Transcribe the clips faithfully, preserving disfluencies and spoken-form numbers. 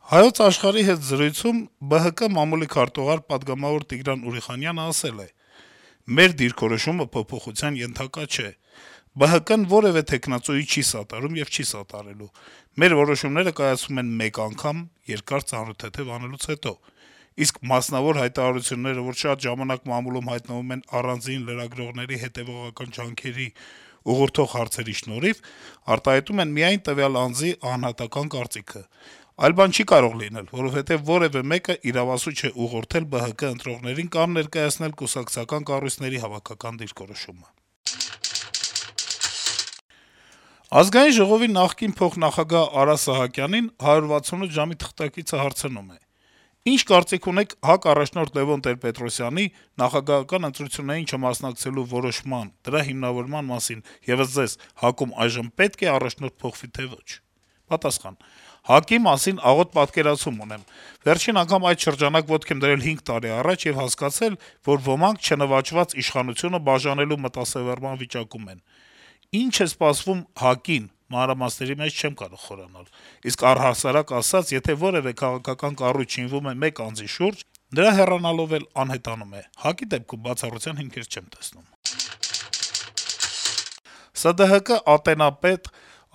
Հայոց Աշխարհի հետ զրույցում Բը Հը Կը մամուլի քարտուղար պատգամավոր Տիգրան Ուրիխանյանը ասել է. - «Մեր դիրքորոշումը փոփոխության ենթակա չէ: Բը Հը Կը-ն որեւէ թեկնածուի չի սատարում եւ չի սատարելու: Մեր որոշումները կայացվում են մեկ անգամ, երկար ծանոթեթեւ անելուց հետո: Իսկ մասնավոր հայտարարությունները, որ շատ ժամանակ մամուլում հայտնվում են առանձին լրագրողների հետեւողական ջանքերի ուղղորդող հարցերի շնորհիվ, արտահայտում են միայն տվյալ անձի անհատական կարծիքը: Այլ բան չի կարող լինել, որովհետեւ որեւէ մեկը իրավասու չէ ուղղորդել Բը Հը Կը ընտրողներին կամ ներկայացնել կուսակցական կառույցների հավաքական դիրքորոշումը»: Ազգային ժողովի նախկին փոխնախագահ Արա Սահակյանին «հարյուր վաթսունութ ժամ»-ի թղթակիցը հարցնում է. - «Ի՞նչ կարծիք ունեք ՀԱԿ առաջնորդ Լեւոն Տեր-Պետրոսյանի նախագահական ընտրություններին չմասնակցելու որոշման, դրա հիմնավորման մասին, եւ ըստ Ձեզ, ՀԱԿ-ում այժմ պետք է առաջնորդ փոխվի, թե ոչ»: Պատասխան. - «ՀԱԿ-ի մասին աղոտ պատկերացում ունեմ: Վերջին անգամ այդ շրջանակ ոտք եմ դրել հինգ տարի առաջ եւ հասկացել, որ ոմանք չնվաճված իշխանությունը բաժանելու մտասեւեռման վիճակում են: Ինչ է սպասվում ՀԱԿ-ին, մանրամասների մեջ չեմ կարող խորանալ: Իսկ առհասարակ ասած, եթե որեւէ քաղաքական կառույց շինվում է մեկ անձի շուրջ, նրա հեռանալով էլ անհետանում է: ՀԱԿ-ի դեպքում բացառության հիմքեր չեմ տեսնում»: Սա Դը Հը Կը ատենապետ,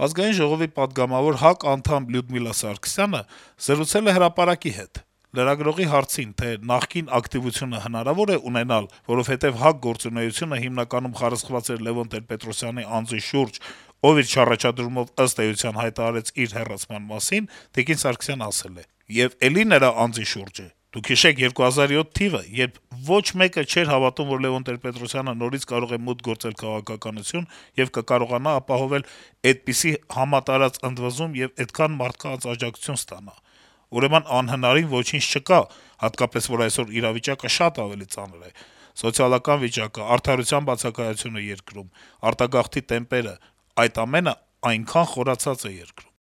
Ազգային ժողովի պատգամավոր, ՀԱԿ անդամ Լյուդմիլա Սարգսյանը զրուցել է «Հրապարակ»-ի հետ: Լրագրողի հարցին, թե նախկին ակտիվությունը հնարավո՞ր է ունենալ, որովհետեւ ՀԱԿ գործունեությունը հիմնականում խարսխված էր Լեւոն Տեր-Պետրոսյանի անձի շուրջ, ով իր չառաջադրումով, ըստ էության, հայտարարեց իր հեռացման մասին, տիկին Սարգսյանը ասել է. - «Եվ էլի նրա անձի շուրջ է: Դուք հիշեք երկու հազար յոթ թիվը, երբ ոչ մեկը չէր հավատում, որ Լեւոն Տեր-Պետրոսյանը նորից կարող է մուտք գործել քաղաքականություն եւ կկարողանա ապահովել էդպիսի համատարած ընդվզում եւ էդքան մարդկանց աջակցություն ստանա: Ուրեմն անհնարին ոչինչ չկա, հատկապես, որ այսօր իրավիճակը շատ ավելի ծանր է: Սոցիալական վիճակը, արդարության բացակայությունը երկրում, արտագաղթի տեմպերը, այդ ամենը այնքան խորացած է երկրում»: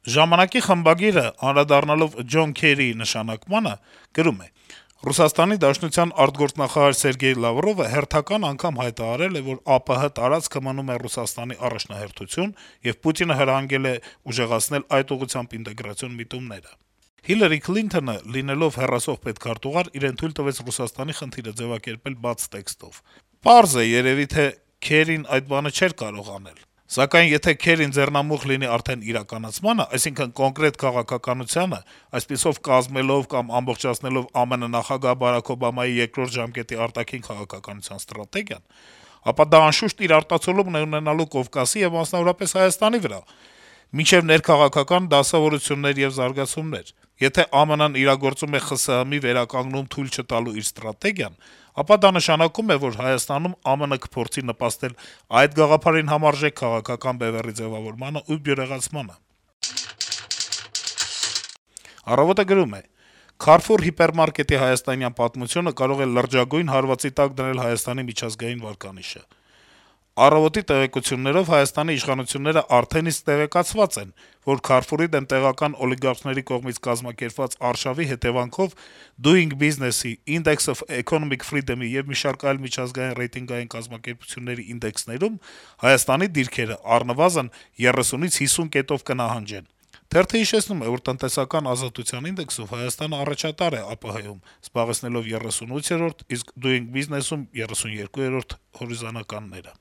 «Ժամանակ»-ի խմբագիրը, անդրադառնալով Ջոն Քերիի նշանակմանը, գրում է. - «Ռուսաստանի Դաշնության արտգործնախարար Սերգեյ Լավրովը հերթական անգամ հայտարարել է, որ ԱՊՀ տարածքը մնում է Ռուսաստանի առաջնահերթություն, եւ Պուտինը հրահանգել է ուժեղացնել այդ ուղղությամբ ինտեգրացիոն միտումները: Հիլարի Քլինթոնը, լինելով հեռացող պետքարտուղար, իրեն թույլ տվեց Ռուսաստանի խնդիրը ձեւակերպել բաց տեքստով: Պարզ է երեւի, թե Քերին այդ բանը չէր կարող անել: Սակայն եթե Քերին ձեռնամուխ լինի արդեն իրականացմանը, այսինքն՝ կոնկրետ քաղաքականությանը, այսպիսով կազմելով կամ ամբողջացնելով ԱՄՆ նախագահ Բարաք Օբամայի երկրորդ ժամկետի արտաքին քաղաքականության ստրատեգիան, ապա դա անշուշտ իր արտացոլումն է ունենալու Կովկասի եւ մասնավորապես Հայաստանի վրա, մինչեւ ներքաղաքական դասավորություններ եւ զարգացումներ: Եթե ԱՄՆ-ն իրագործում է ԽՍՀՄ-ի վերականգնում թույլ չտալու իր ստրատեգիան, ապա դա նշանակում է, որ Հայաստանում ԱՄՆ կփորձի նպաստել այդ գաղափարին համարժեք քաղաքական բեւեռի ձեւավորմանը ու բյուրեղացմանը»: «Առավոտ»-ը գրում է. - «Քարֆուր հիպերմարկետի հայաստանյան պատմությունը կարող է լրջագույն հարվածի տակ դնել Հայաստանի միջազգային վարկանիշը: «Առավոտ»-ի տեղեկություններով Հայաստանի իշխանությունները արդեն իսկ տեղեկացված են, որ Քարֆուրի դեմ տեղական օլիգարխների կողմից կազմակերպված արշավի հետեւանքով Doing Business-ի, Index of Economic Freedom-ի եւ մի շարք այլ միջազգային ռեյտինգային կազմակերպությունների ինդեքսներում Հայաստանի դիրքերը առնվազն երեսունից հիսուն կետով կնահանջեն»: Թերթը հիշեցնում է, որ տնտեսական ազատության ինդեքսով Հայաստանը առաջատար է ԱՊՀ-ում՝ զբաղեցնելով երեսունութերորդ, իսկ Doing Business-ում՝ երեսունյերկուերորդ հորիզոնականները: